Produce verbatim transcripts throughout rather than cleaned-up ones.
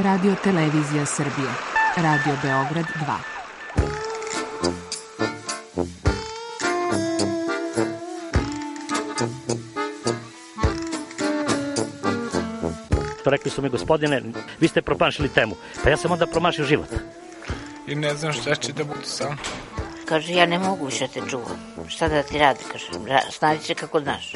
Radio Televizija Srbije. Radio Beograd dva. Rekli su mi, gospodine, vi ste promašili temu. Pa ja sam onda promašio život. I ne znam šta će da budu sam. Kaže, ja ne mogu više te čuvam. Šta da ti radi, kaže, snađi se kako znaš.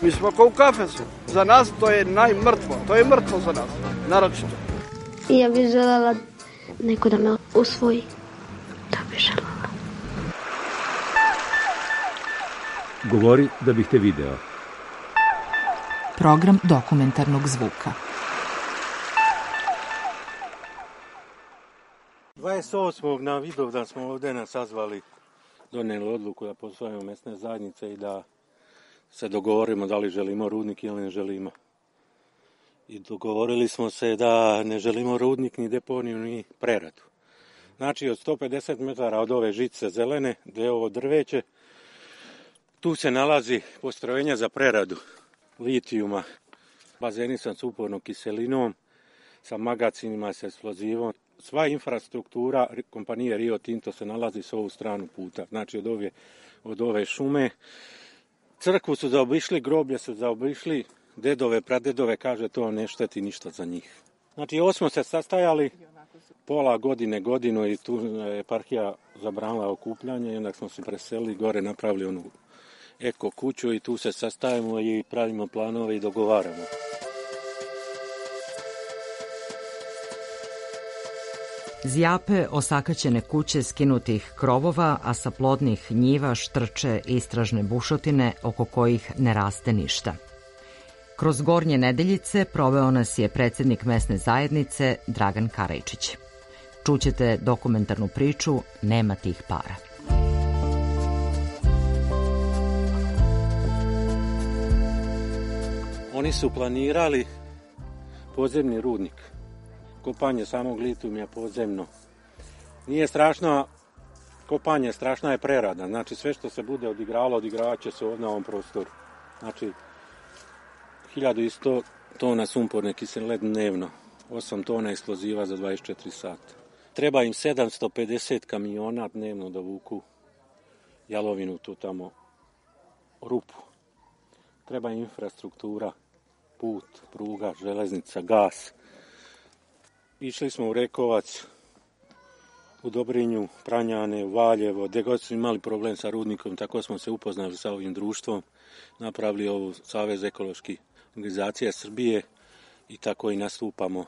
Mi smo kao u kafesu. Za nas to je najmrtvo. To je mrtvo za nas, naročito. Ja bih želela neko da me usvoji. Da bih želela. Govori da bih te video. Program dokumentarnog zvuka. dvadeset osmog na Vidovdan smo ovdje nas sazvali, donijeli odluku da posvajamo mesne zajednice i da se dogovorimo da li želimo rudnik ili ne želimo. I dogovorili smo se da ne želimo rudnik, ni deponiju, ni preradu. Znači od sto pedeset metara od ove žice zelene, gdje je ovo drveće, tu se nalazi postrojenje za preradu litijuma, bazeni sa supornom kiselinom, sa magacinima, sa eksplozivom. Sva infrastruktura kompanije Rio Tinto se nalazi s ovu stranu puta, znači od ove, od ove šume. Crkvu su zaobišli, groblje su zaobišli, dedove, pradedove, kaže to ne šteti ništa za njih. Znači ovo smo se sastajali pola godine, godinu i tu je eparhija zabranila okupljanje i onda smo se preselili gore, napravili onu eko kuću i tu se sastajemo i pravimo planove i dogovaramo. Zjape osakaćene kuće skinutih krovova, a sa plodnih njiva štrče istražne bušotine oko kojih ne raste ništa. Kroz Gornje Nedeljice proveo nas je predsjednik mesne zajednice Dragan Karajčić. Čućete dokumentarnu priču Nema tih para. Oni su planirali podzemni rudnik. Kopanje samog litijuma podzemno. Nije strašno kopanje, strašna je prerada. Znači sve što se bude odigravalo, odigravat će se ovdje na ovom prostoru. Znači hiljadu sto tona sumporne kiseline dnevno, osam tona eksploziva za dvadeset četiri sata. Treba im sedamsto pedeset kamiona dnevno da vuku jalovinu tu tamo rupu. Treba im infrastruktura, put, pruga, železnica, gas. Išli smo u Rekovac, u Dobrinju, Pranjane, u Valjevo, gdje god su imali problem sa rudnikom, tako smo se upoznali sa ovim društvom, napravili ovu Savez ekoloških organizacija Srbije i tako i nastupamo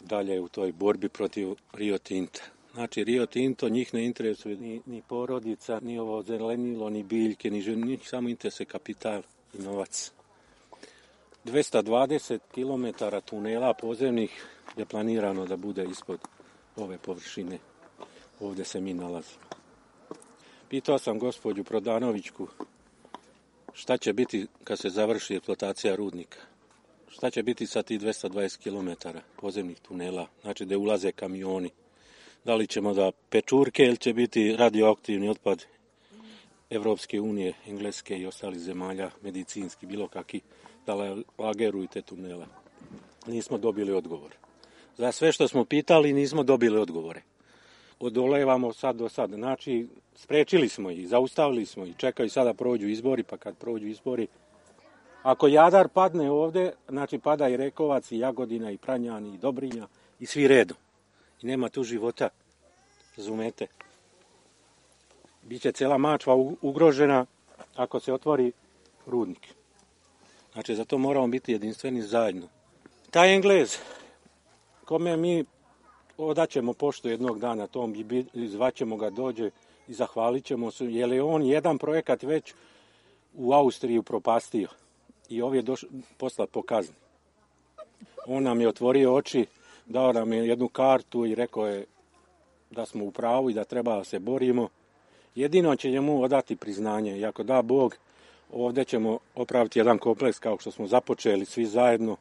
dalje u toj borbi protiv Rio Tinta. Znači Rio Tinto njih ne interesuje ni, ni porodica, ni ovo zelenilo, ni biljke, ni njih samo interesuje kapital i novac. dvesta dvadeset kilometara tunela podzemnih je planirano da bude ispod ove površine. Ovdje se mi nalazimo. Pitao sam gospođu Prodanovićku šta će biti kad se završi eksploatacija rudnika. Šta će biti sa tih dvesta dvadeset kilometara podzemnih tunela, znači da ulaze kamioni. Da li ćemo da pečurke ili će biti radioaktivni otpad Evropske unije, Engleske i ostalih zemalja, medicinski, bilo kakvi, da lageruju te tunele. Nismo dobili odgovor. Za sve što smo pitali nismo dobili odgovore. Odolevamo sad do sad. Znači, sprečili smo ih, zaustavili smo ih, čekaju sada prođu izbori, pa kad prođu izbori. Ako Jadar padne ovdje, znači pada i Rekovac, i Jagodina, i Pranjani, i Dobrinja, i svi redom. I nema tu života, razumete. Biće cijela Mačva ugrožena ako se otvori rudnik. Znači, zato moramo biti jedinstveni zajedno. Taj Englez, kome mi odaćemo poštu jednog dana, tom zvaćemo ga, dođe i zahvalit ćemo se, jer je on jedan projekat već u Austriji upropastio i ovdje je došao poslat po kazni. On nam je otvorio oči, dao nam je jednu kartu i rekao je da smo u pravu i da treba da se borimo. Jedino će njemu odati priznanje i ako da Bog, ovdje ćemo opraviti jedan kompleks kao što smo započeli svi zajedno,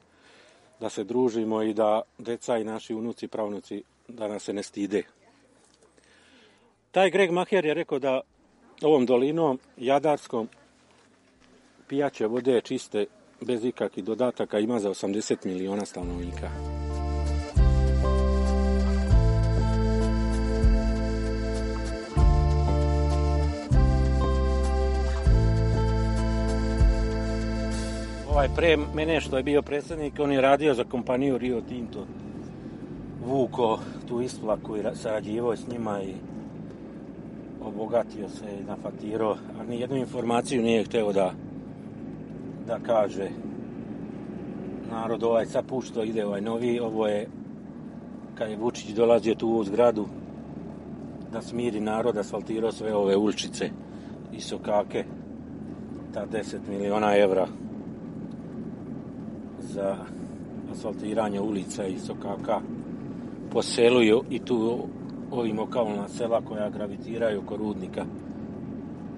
da se družimo i da deca i naši unuci, pravnuci, da nas se ne stide. Taj Greg Maher je rekao da ovom dolinom Jadarskom pijaće vode čiste bez ikakvih dodataka ima za osamdeset miliona stanovnika. Ovaj pre mene što je bio predsjednik, on je radio za kompaniju Rio Tinto. Vuko tu isplaku i sarađivao s njima i obogatio se i nafatirao, a nijednu informaciju nije hteo da, da kaže. Narod ovaj sad pušto ide ovaj novi, ovo je kad je Vučić dolazio tu u zgradu da smiri narod, asfaltirao sve ove uličice i sokake, ta deset miliona evra za asfaltiranje ulica i sokaka po selu i tu ovim okolna sela koja gravitiraju oko rudnika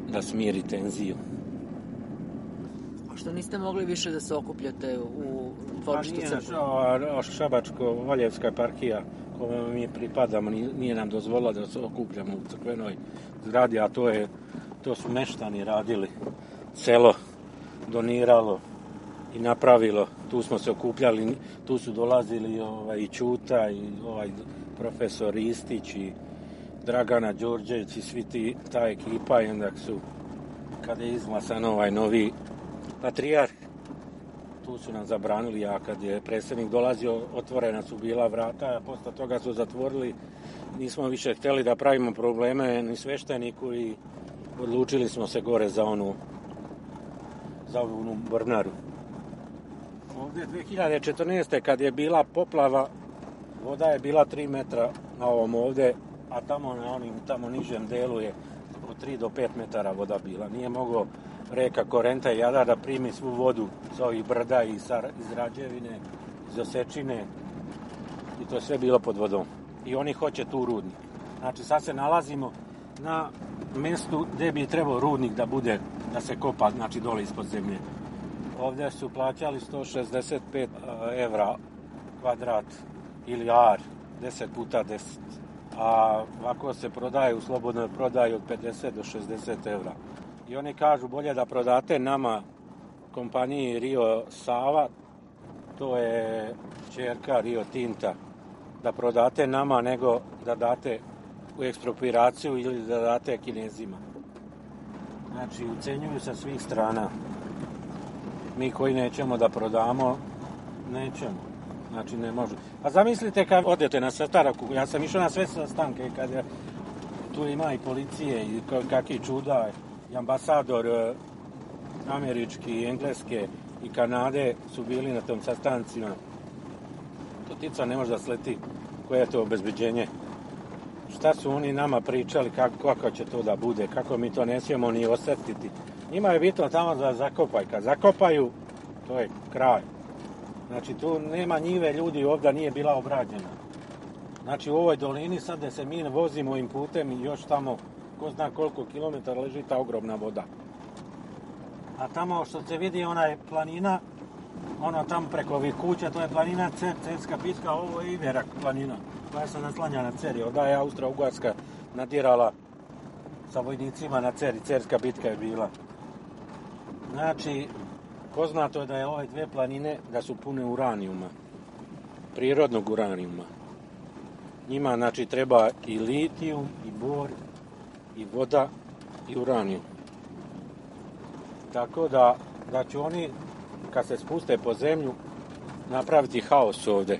da smiri tenziju. A što niste mogli više da se okupljate u dvorištu crkve? Šabačko-Valjevska eparhija kojoj mi pripadamo nije nam dozvolila da se okupljamo u crkvenoj zgradi, a to je to su meštani radili. Selo doniralo i napravilo, tu smo se okupljali, tu su dolazili ovaj, i Ćuta i ovaj profesor Istić i Dragana Đorđević i svi ti, ta ekipa, i onda su, kada je izglasan ovaj novi patrijarh, tu su nam zabranili, a kad je predsjednik dolazio, otvorena su bila vrata, a posle toga su zatvorili, nismo više htjeli da pravimo probleme ni svešteniku i odlučili smo se gore za onu za onu Brnaru. Ovdje dve hiljade četrnaeste. kad je bila poplava, voda je bila tri metra na ovom ovdje, a tamo na onim tamo nižem delu je od tri do pet metara voda bila. Nije mogao reka Korenta i Jadar da primi svu vodu sa ovih brda i iz Rađevine, iz Osečine, i to je sve bilo pod vodom. I oni hoće tu rudnik. Znači sad se nalazimo na mjestu gdje bi trebao rudnik da bude, da se kopa, znači dole ispod zemlje. Ovdje su plaćali sto šezdeset pet evra kvadrat ili ar, deset puta deset. A ovako se prodaje u slobodnoj prodaji od pedeset do šezdeset evra. I oni kažu bolje da prodate nama, kompaniji Rio Sava, to je ćerka Rio Tinta, da prodate nama nego da date u ekspropriraciju ili da date Kinezima. Znači, ucenjuju sa svih strana. Mi koji nećemo da prodamo, nećemo. Znači, ne može. A zamislite kad odete na sastanak, ja sam išao na sve sastanke, kad je, tu ima i policije i kakvi čuda, i ambasador američki, i engleske i Kanade su bili na tom sastancima. To tica ne može da sleti koje je to obezbeđenje. Šta su oni nama pričali, kako, kako će to da bude, kako mi to ne smijemo ni osjetiti. Njima je bitno tamo da zakopaj. Kad zakopaju, to je kraj. Znači, tu nema njive, ljudi ovdje nije bila obrađena. Znači, u ovoj dolini sad da se mi vozimo ovim putem i još tamo, ko zna koliko kilometara leži ta ogromna voda. A tamo što se vidi, ona je planina, ono tamo preko ovih kuća, to je planina Cer, Cerska bitka, ovo je Iverak planina, koja se naslanja na Cer. Onda je Austro-Ugarska nadirala sa vojnicima na Cer i Cerska bitka je bila. Znači, poznato je da je ove dve planine da su pune uranijuma, prirodnog uranijuma. Njima, znači, treba i litijum, i bor, i voda, i uranijum. Tako da, da će oni, kad se spuste po zemlju, napraviti haos ovdje.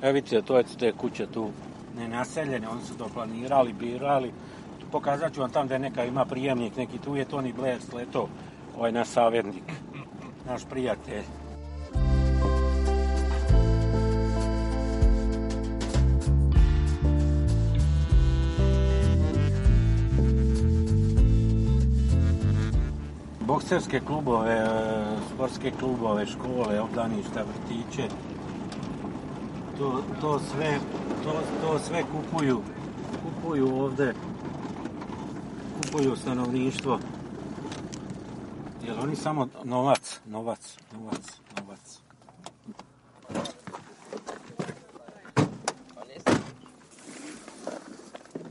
Evo vidite, to je te kuće tu nenaseljene, oni su to planirali, birali. Pokazat ću vam tam da neka ima prijemnik, neki tu je Tony Blair sleto, ovaj naš savjetnik, naš prijatelj. Bokserske klubove, sportske klubove, škole, obdaništa, vrtiće, to, to, sve, to, to sve kupuju, kupuju ovdje, kupuju stanovništvo. Jer oni samo novac, novac, novac, novac.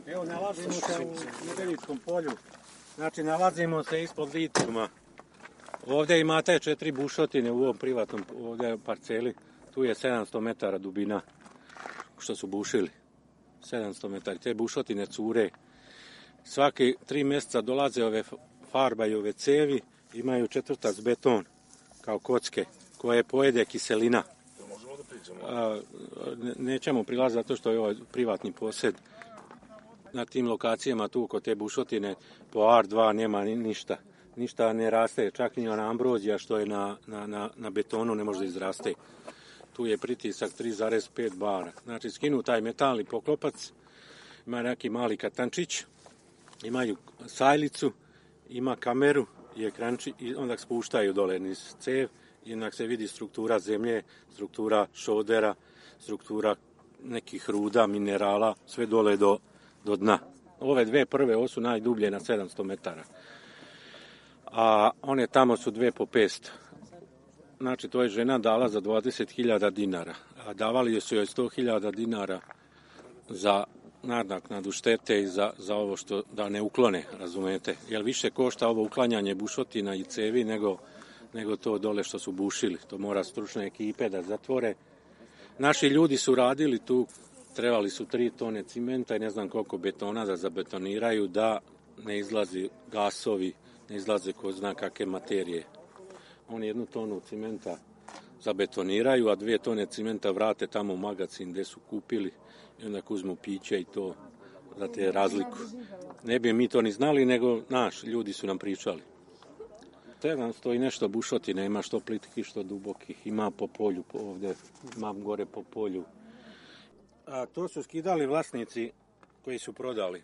Evo, nalazimo se u Medvenickom polju. Znači, nalazimo se ispod litijuma. Ovdje imate četiri bušotine u ovom privatnom ovdje parceli. Tu je sedamsto metara dubina što su bušili. sedamsto metara. Te bušotine cure. Svaki tri mjeseca dolaze ove farba i ove cevi. Imaju četvrtac beton kao kocke koje pojede kiselina. A, nećemo prilaziti zato što je ovaj privatni posjed. Na tim lokacijama tu kod te bušotine po ar dva nema ništa. Ništa ne raste, čak ni ona ambrozija što je na, na, na, na betonu ne može da izraste. Tu je pritisak tri zarez pet bara. Znači skinu taj metalni poklopac, ima neki mali katančić, imaju sajlicu, ima kameru i ekranči i onda spuštaju dole niz cev i onda se vidi struktura zemlje, struktura šodera, struktura nekih ruda, minerala, sve dole do, do dna. Ove dve prve, ovo su najdublje na sedamsto metara. A one tamo su dve po petsto. Znači, to je žena dala za dvadeset hiljada dinara. A davali su joj sto hiljada dinara za nadoknadu štete i za, za ovo što da ne uklone, razumete. Jer više košta ovo uklanjanje bušotina i cevi nego, nego to dole što su bušili. To mora stručne ekipe da zatvore. Naši ljudi su radili tu, trebali su tri tone cimenta i ne znam koliko betona da zabetoniraju, da ne izlazi gasovi, ne izlaze ko zna kakve materije. Oni jednu tonu cimenta zabetoniraju, a dvije tone cimenta vrate tamo u magacin gdje su kupili i onda uzmu piće i to za te razliku. Ne bi mi to ni znali, nego naš ljudi su nam pričali. sedamsto i nešto bušotina, ima što plitkih, što dubokih, ima po polju ovdje, ima gore po polju. A to su skidali vlasnici koji su prodali.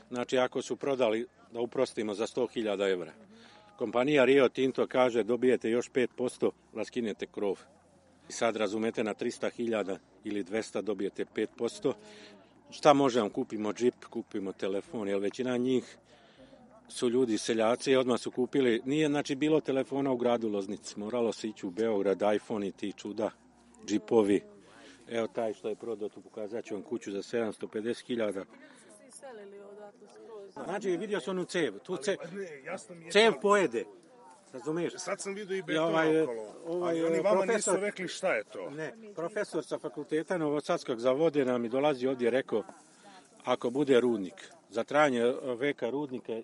Znači, ako su prodali, da uprostimo, za sto hiljada evra. Kompanija Rio Tinto kaže dobijete još pet posto da skinete krov. I sad razumete na trista hiljada ili dvesta dobijete pet posto. Šta možemo? Kupimo džip, kupimo telefon, jer većina njih su ljudi seljaci i odmah su kupili. Nije znači bilo telefona u gradu Loznici. Moralo se ići u Beograd, iPhone i ti čuda, džipovi. Evo taj što je prodao, tu pokazat ću vam kuću za sedamsto pedeset hiljada. Znači, vidio sam onu cev. Tu cev, cev pojede. Razumiješ? Sad sam vidio i beton ovaj, okolo. Ovaj, Ali oni vama profesor, nisu rekli šta je to. Ne, profesor sa fakulteta Novosadskog za vode nam i dolazi ovdje rekao, ako bude rudnik, za trajanje veka rudnika,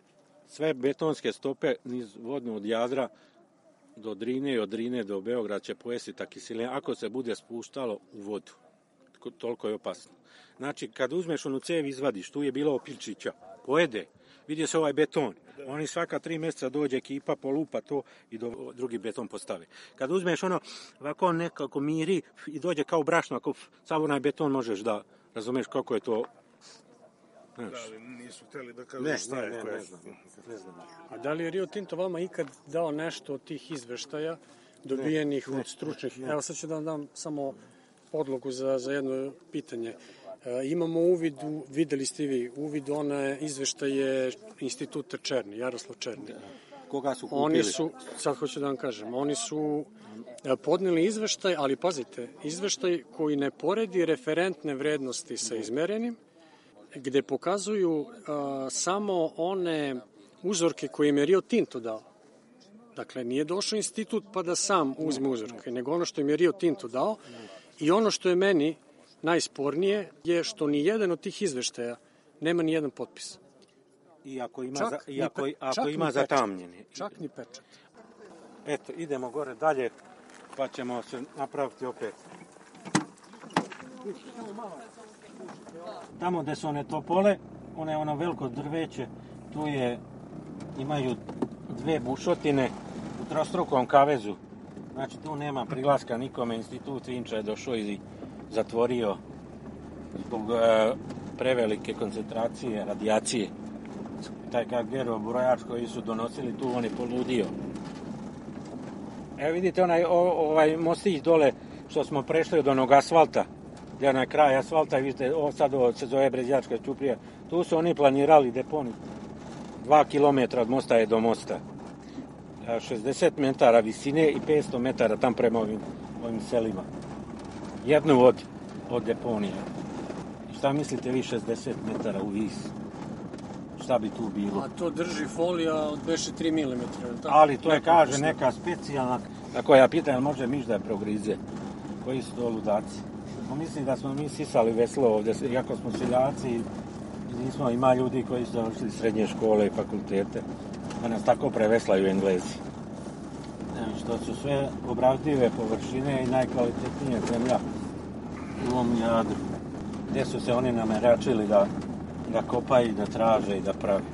sve betonske stope niz vodno od Jadra do Drine i od Drine do Beograda će pojesti ta kiselina, ako se bude spuštalo u vodu. Toliko je opasno. Znači, kad uzmeš onu cev izvadiš, tu je bilo opilčića, pojede, vidi se ovaj beton. Oni svaka tri mjeseca dođe ekipa, polupa to i do, drugi beton postave. Kad uzmeš ono, ovako nekako miri i dođe kao brašno, ako sav onaj beton možeš da razumeš kako je to. Da, ali nisu htjeli da kažu ne, šta ne, je. ne, koje... ne, znam, ne znam. A da li je Rio Tinto vama ikad dao nešto od tih izveštaja dobijenih ne, od stručnih? Ne, ne. Evo sad ću da vam dam samo podlogu za, za jedno pitanje. E, imamo uvid, u, videli ste vi, uvid one izveštaje Instituta Černi, Jaroslav Černi. Koga su kupili? Oni su, sad hoću da vam kažem, oni su podneli izveštaj, ali pazite, izveštaj koji ne poredi referentne vrednosti sa izmerenim, gde pokazuju a, samo one uzorke koje im je Rio Tinto dao. Dakle, nije došao institut pa da sam uzme uzorke, nego ono što im je Rio Tinto dao. I ono što je meni najspornije je što ni jedan od tih izveštaja nema ni jedan potpis. I ako ima, čak za, i ako, pe, ako ima zatamnjeni. Čak ni pečat. Eto, idemo gore dalje, pa ćemo se napraviti opet. Tamo gde su one topole, one ono veliko drveće, tu je, imaju dve bušotine u trostrukom kavezu. Znači tu nema prilaska nikome, institut Vinča je došao i zatvorio zbog e, prevelike koncentracije radijacije. Taj Gaugerov brojač koji su donosili tu, on je poludio. Evo vidite onaj, o, ovaj mostić dole što smo prešli od onog asfalta, gdje je na kraj asfalta i vidite, ovo sad ovo se zove Brezjačka ćuprija. Tu su oni planirali deponiju. Dva kilometra od mosta je do mosta. šezdeset metara visine i petsto metara tam prema ovim, ovim selima. Jednu od, od deponije. I šta mislite vi šezdeset metara u vis? šta bi tu bilo. A to drži folija od beše tri milimetra. Ali to je, kaže, neka specijalna, tako ja pitam, jel može miš da je progrize? Koji su to ludaci? No, mislim da smo mi sisali veslo ovdje, iako smo seljaci i nismo, ima ljudi koji su završili srednje škole i fakultete, da nas tako preveslaju Englezi. Ne, što su sve obradive površine i najkvalitetnije zemlja u ovom Jadru, gdje su se oni nameračili da, da kopaju i da traže i da pravi.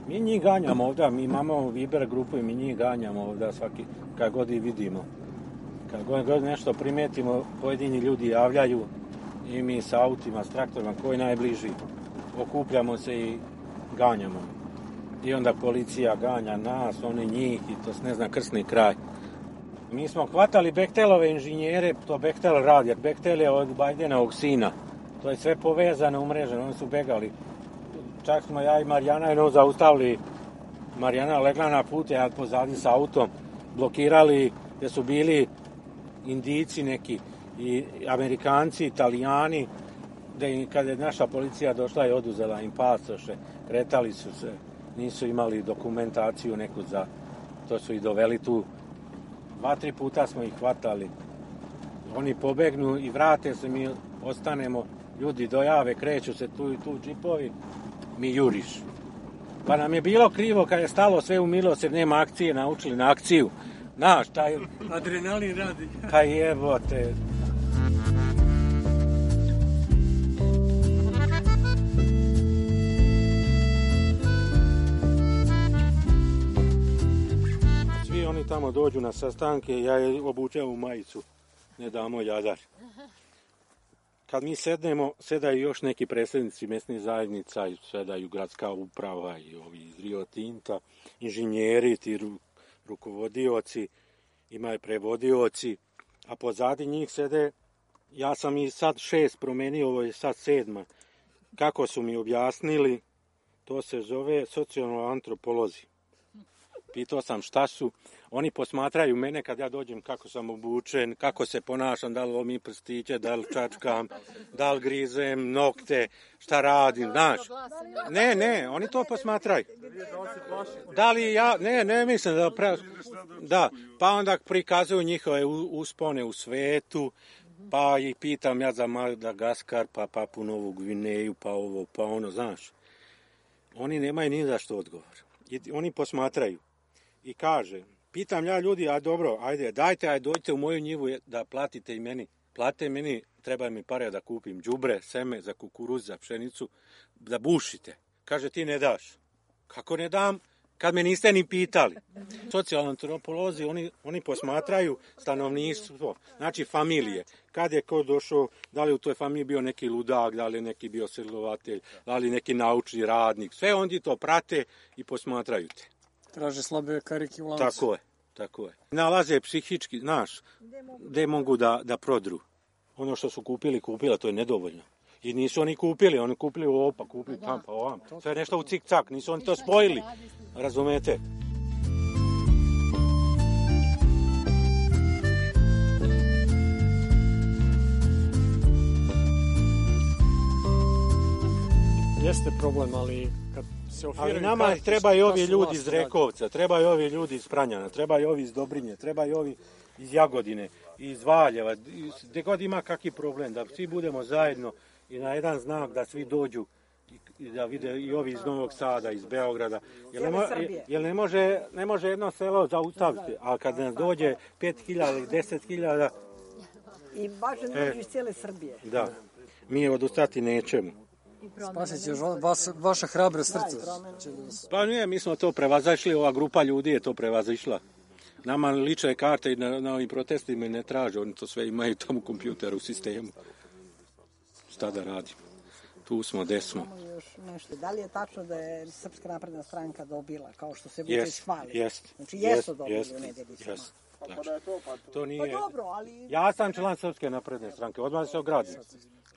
Mi njih ganjamo ovdje, mi imamo Viber grupu i mi njih ganjamo ovdje svaki, kad god i vidimo. Kad god, god nešto primetimo, pojedini ljudi javljaju i mi sa autima, s traktorima, koji najbliži, okupljamo se i ganjamo. I onda policija ganja nas, oni njih i to se ne zna krsni kraj. Mi smo hvatali Bechtelove inženjere, to Bechtel radi, jer Bechtel je od Bajdenovog sina. To je sve povezano, umreženo, oni su begali. Čak smo ja i Marijana jedno zaustavili, Marijana legla na put, ja pozadi s autom, blokirali gdje su bili Indijci neki, i Amerikanci, Italijani, gdje kada je naša policija došla i oduzela im pasoše, kretali su se, nisu imali dokumentaciju neku za, to su i doveli tu. Dva, tri puta smo ih hvatali. Oni pobegnu i vrate se, mi ostanemo, ljudi dojave, kreću se tu i tu džipovi, mi juriš. Pa nam je bilo krivo kad je stalo sve u milost jer nema akcije, naučili na akciju. Znaš, taj... Adrenalin radi. Pa jebote. Svi oni tamo dođu na sastanke, ja je obučem u majicu, ne damo Jadar. Kad mi sednemo, sedaju još neki predsjednici mjesnih zajednica, sedaju gradska uprava i ovi iz Rio Tinta, inženjeri, ti ru, rukovodioci, imaju prevodioci, a pozadi njih sede, ja sam i sad šest promenio, ovo je sad sedma. Kako su mi objasnili, to se zove socijalno-antropolozi. Pitao sam šta su, oni posmatraju mene kad ja dođem kako sam obučen, kako se ponašam, da li lomim prstiće, da li čačkam, da li grizem nokte, šta radim, znaš. Ne, ne, oni to posmatraju. Da li ja, ne, ne mislim da pre... Da, pa onda prikazuju njihove uspone u svetu, pa ih pitam ja za Madagaskar, pa Papu Novu Gvineju, pa ovo, pa ono, znaš. Oni nemaju ni za što odgovor. Oni posmatraju. I kaže, pitam ja ljudi, a dobro, ajde, dajte, ajde, dođite u moju njivu da platite i meni. Platite meni, treba mi pare da kupim đubre, seme za kukuruz, za pšenicu, da bušite. Kaže, ti ne daš. Kako ne dam? Kad me niste ni pitali. Socijalni antropolozi, oni, oni posmatraju stanovništvo, znači familije. Kad je ko došao, da li u toj familiji bio neki ludak, da li neki bio silovatelj, da li neki naučni radnik. Sve oni to prate i posmatraju te. Traže slabe karike u lancu. Tako je, tako je. Nalaze psihički, znaš, gdje mogu da, da prodru. Ono što su kupili, kupila, to je nedovoljno. I nisu oni kupili, oni kupili ovo, pa kupili tam, pa ovam. Sve nešto u cik-cak, nisu oni to spojili. Razumete? Jeste problem, ali kad se ofiraju... Ali nama trebaju ovi ljudi iz Rekovca, trebaju ovi ljudi iz Pranjana, trebaju ovi iz Dobrinje, trebaju ovi iz Jagodine, iz Valjeva, gdje god ima kakvi problem, da svi budemo zajedno i na jedan znak da svi dođu i da vide i ovi iz Novog Sada, iz Beograda. Jer ne, mo, jer ne, može, ne može jedno selo zaustaviti, a kad nas dođe pet hiljada ili deset hiljada... I baš ne dođu iz cijele Srbije. Da, mi odustati nećemo. Spasit će vaša hrabra srca. Pa nije, mi smo to prevazišli, ova grupa ljudi je to prevazišla. Nama lične karte i na, na ovim protestima ne traže, oni to sve imaju tamo u kompjuteru, u sistemu. Šta da radimo? Tu smo, gde smo. Još nešto. Da li je tačno da je Srpska napredna stranka dobila, kao što se Vučić hvali? Jest, znači jesu jest, dobili jest, u Nedeljicama. Jest. Znači, to nije... Pa dobro, ali... Ja sam član Srpske napredne stranke, odmah se ogradim.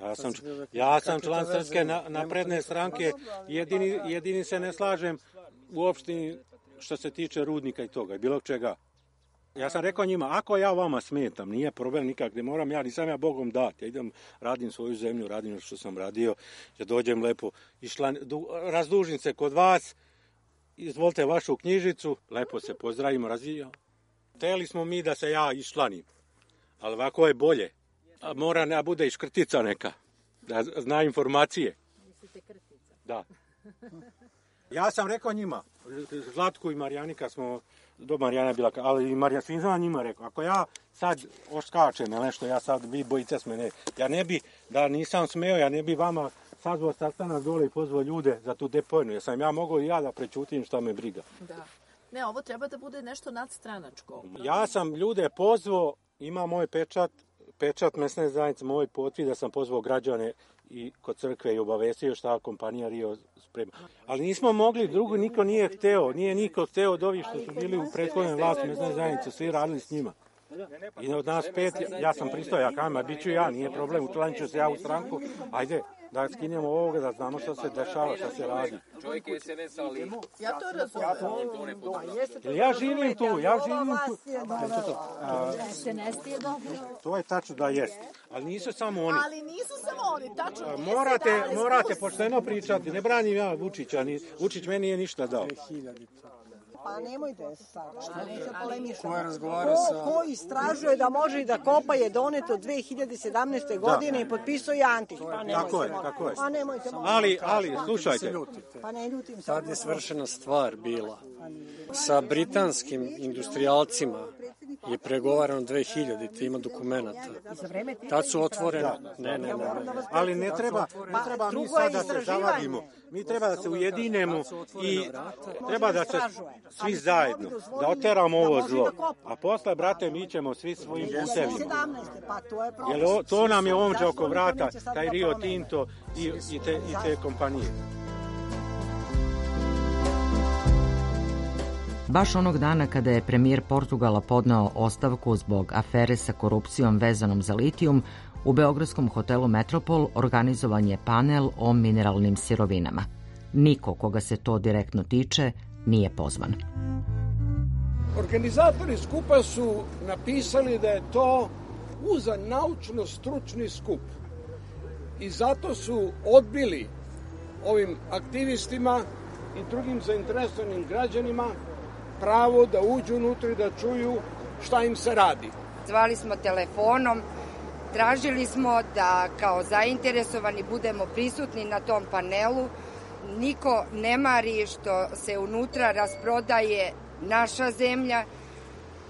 Ja sam, ja sam član Srpske napredne stranke, jedini, jedini se ne slažem u opštini što se tiče rudnika i toga, bilo čega. Ja sam rekao njima, ako ja vama smetam, nije problem nikak, ne moram ja, nisam ja Bogom dati. Ja idem, radim svoju zemlju, radim što sam radio, ja dođem lepo, išla, razdužim se kod vas, izvolite vašu knjižicu, lepo se pozdravimo, razvijamo. Hteli smo mi da se ja išlanim, ali ovako je bolje. A mora da bude i škrtica neka, da zna informacije. Mislite krtica? Da. Ja sam rekao njima, Zlatku i Marijanika smo, do Marijana je bila, ali i Marijan, svim znam njima rekao, ako ja sad oskačem ili nešto, ja sad, vi bojice s mene, ja ne bi, da nisam smeo, ja ne bi vama sazvao sastanak dole i pozvao ljude za tu depojnu, jer sam ja mogao i ja da prečutim šta me briga. Da. Ne, ovo treba da bude nešto nadstranačko. Ja sam ljude pozvao, ima moj pečat, pečat mesne zajednice, moj potvrd da sam pozvao građane i kod crkve i obavestio šta kompanija Rio sprema. Ali nismo mogli, drugo niko nije hteo, nije niko hteo od ovih što su bili u prethodnoj vlasti mesne zajednice, svi radili s njima. I od nas pet, ja sam pristao, ja kajem, a bit ću ja, nije problem, učlanit ću se ja u stranku, ajde, da skinemo ovoga, da znamo što se dešava, što se radi. Čovjek je se ne sali. Ja to razumijem. Ja živim tu, ja živim tu. Se ne stije dobro. To je tačno da jest, ali nisu samo oni. Ali nisu samo oni, tačno. Morate, morate pošteno pričati, ne branim ja Vučića, ni, Vučić meni nije ništa dao. Pa nemojte sada, neće polemišati. Ko je razgovarao sa... Ko istražuje da može i da kopa je doneto dve hiljade sedamnaeste. godine i potpisao je Antić. Pa nemojte, tako je, tako je. Pa nemojte, ali, ali, slušajte. Pa ne ljutim se. Tad je svršena stvar bila. Sa britanskim industrijalcima je pregovarano dve hiljadite, ima dokumenta. Tad su otvorene... Ne, ne, ne. Ali ne treba, ne treba mi sad da se zavadimo. Mi treba da se ujedinemo i treba da se svi zajedno, da oteramo ovo zlo. A posle, brate, mi ćemo svi svojim putevima. Jer to nam je omđe oko vrata, taj Rio Tinto i, i, te, i te kompanije. Baš onog dana kada je premijer Portugala podneo ostavku zbog afere sa korupcijom vezanom za litijum, u beogradskom hotelu Metropol organizovan je panel o mineralnim sirovinama. Niko koga se to direktno tiče nije pozvan. Organizatori skupa su napisali da je to uzan naučno-stručni skup i zato su odbili ovim aktivistima i drugim zainteresovanim građanima pravo da uđu unutra i da čuju šta im se radi. Zvali smo telefonom, tražili smo da kao zainteresovani budemo prisutni na tom panelu. Niko ne mari što se unutra rasprodaje naša zemlja,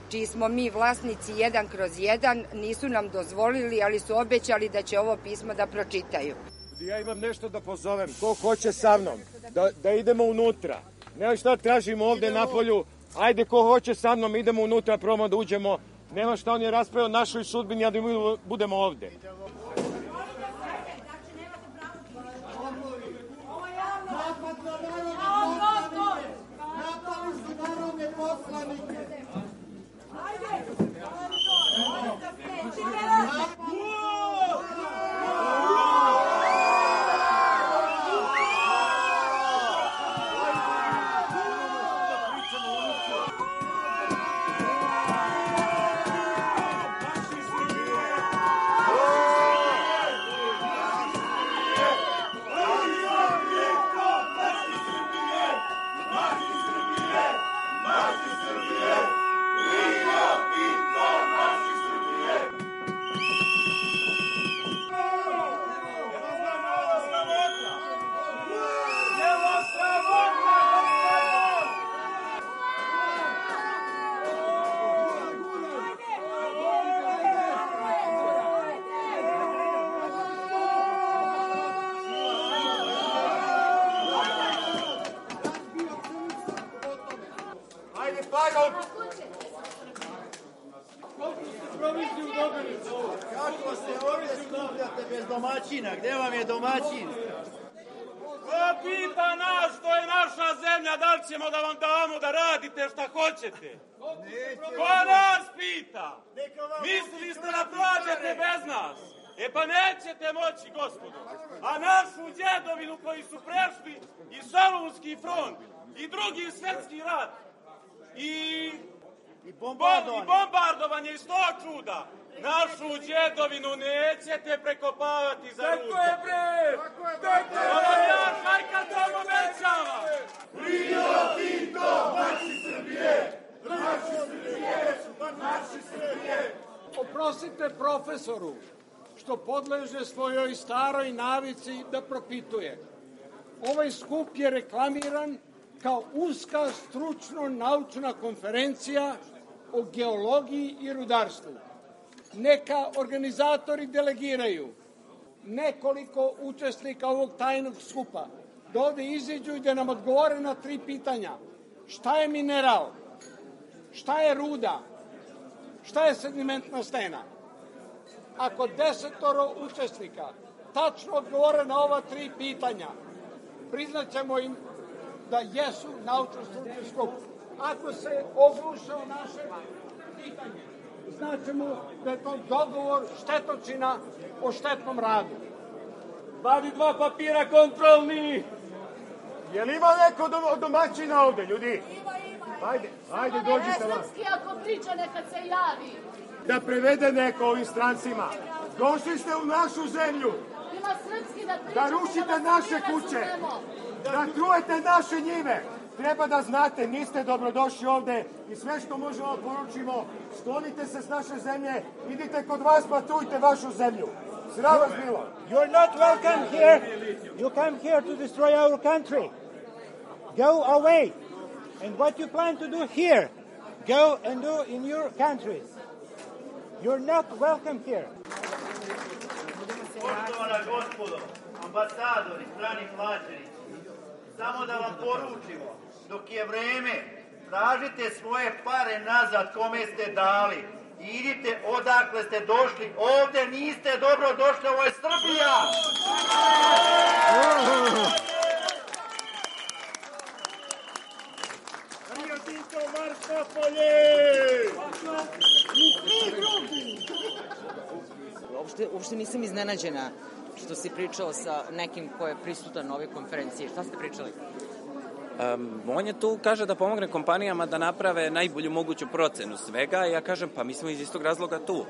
čiji smo mi vlasnici jedan kroz jedan, nisu nam dozvolili, ali su obećali da će ovo pismo da pročitaju. Ja imam nešto da pozovem, ko hoće sa mnom, da, da idemo unutra. Nema šta tražimo ovde na polju, ajde ko hoće sa mnom, idemo unutra, probamo da uđemo. Nema šta on je raspravio našoj sudbini, a da mi budemo ovde. Kako se ovdje skupljate bez domaćina? Gde vam je domaćin? Ko pita nas, to je naša zemlja, da li ćemo da vam damo da radite šta hoćete? Ko nas pita? Mislili ste da plaćate bez nas? E pa nećete moći, gospodo. A našu djedovinu koji su prešli i Solunski front i drugi svetski rat i I bombardovanje. I bombardovanje iz sto čuda. Našu djedovinu nećete prekopavati za rudu. Tako je, bre! Tako je! Ovo ja šajka to obećava! Rio Tinto, naši Srbije! Naši Srbije! Naši Srbije! Oprostite profesoru što podleže svojoj staroj navici da propituje. Ovaj skup je reklamiran kao uska stručno-naučna konferencija o geologiji i rudarstvu. Neka organizatori delegiraju nekoliko učesnika ovog tajnog skupa da ovde izađu i da nam odgovore na tri pitanja. Šta je mineral? Šta je ruda? Šta je sedimentna stena? Ako desetoro učesnika tačno odgovore na ova tri pitanja, priznaćemo im da jesu naučno-stručni skup. Ako se ogluše o naše pitanje, značimo da je to dogovor štetočina o štetnom radu. Vadi dva papira kontrolni. Je li ima neko do, domaćina ovde, ljudi? Ima, ima. Ajde, ajde, dođite vam. Srpski ako priča, neka se javi. Da prevede neko ovim strancima. Došli ste u našu zemlju. Ima srpski da priča. Da rušite naše kuće. Da trujete naše njive. Treba da znate, niste dobrodošli ovde i sve što možemo poručimo, sklonite se s naše zemlje, idite kod vas pa trujte vašu zemlju. Sram vas bilo. You're not welcome here. You come here to destroy our country. Go away. And what you plan to do here, go and do in your countries. You're not welcome here. Poštovana gospodo, ambasadori, strani plaćenici, samo da vam poručimo, dok je vreme, tražite svoje pare nazad kome ste dali i idite odakle ste došli. Ovde niste dobro došli, ovo je Srbija! Rio Tinto, marš na polje! Uopšte, uopšte nisam iznenađena što si pričao sa nekim ko je prisutan na ovoj konferenciji. Šta ste pričali? Um, on je tu, kaže da pomogne kompanijama da naprave najbolju moguću procenu svega i ja kažem, pa mi smo iz istog razloga tu.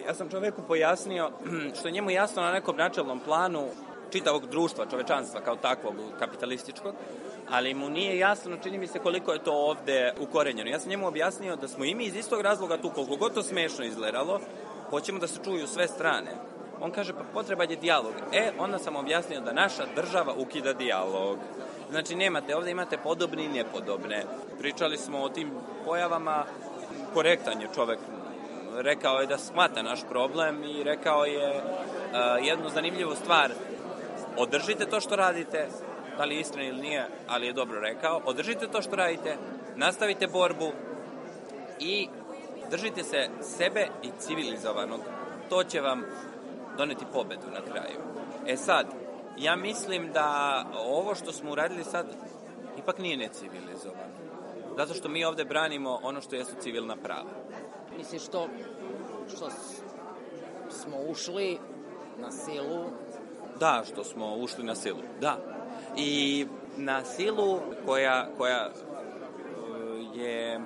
Ja sam čoveku pojasnio što je njemu jasno na nekom načelnom planu čitavog društva, čovečanstva kao takvog kapitalističkog, ali mu nije jasno, čini mi se, koliko je to ovde ukorenjeno. Ja sam njemu objasnio da smo i mi iz istog razloga tu, koliko god to smešno izgledalo, hoćemo da se čuju sve strane. On kaže, pa potreban je dijalog. E, onda sam objasnio da naša država ukida dijalog. Znači, nemate, ovde imate podobne i nepodobne. Pričali smo o tim pojavama, korektan je čovek. Rekao je da shvata naš problem i rekao je uh, jednu zanimljivu stvar. Održite to što radite, da li je istina ili nije, ali je dobro rekao. Održite to što radite, nastavite borbu i držite se sebe i civilizovanog. To će vam doneti pobedu na kraju. E sad, ja mislim da ovo što smo uradili sad ipak nije necivilizovano. Zato što mi ovde branimo ono što jesu civilna prava. Misliš što, što smo ušli na silu? Da, što smo ušli na silu, da. I na silu koja, koja je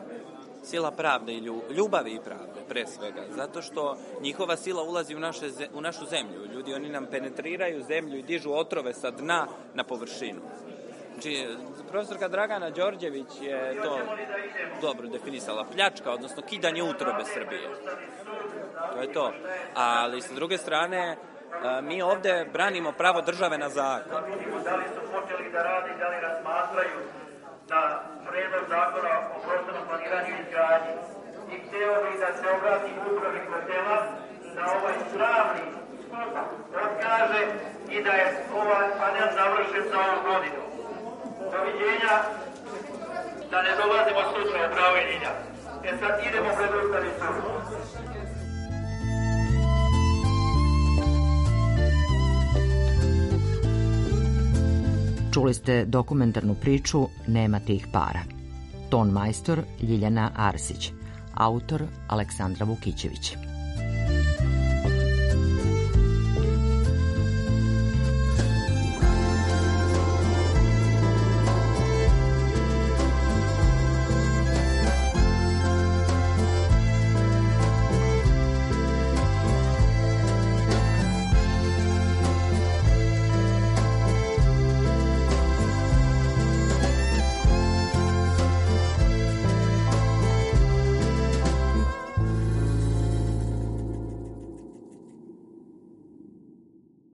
sila pravde i ljubavi i pravde, pre svega. Zato što njihova sila ulazi u, naše, u našu zemlju. Ljudi, oni nam penetriraju zemlju i dižu otrove sa dna na površinu. Znači, profesorka Dragana Đorđević je to dobro definisala. Pljačka, odnosno kidanje utrobe Srbije. To je to. Ali, sa druge strane, mi ovde branimo pravo države na zakon. Da li su počeli da radi, da li razmatraju na predlog zakona o prostornom planiranju i izgradnji. I hteo bih da se obrati upravi hotela da ovaj sravni odkaže i da je ovaj panel završen za ovu godinu. Doviđenja, da ne dolazimo sutra u pravo jedinja. E sad idemo pred Ustavni sud. Čuli ste dokumentarnu priču Nema tih para. Ton majstor Ljiljana Arsić. Autor Aleksandra Vukićević.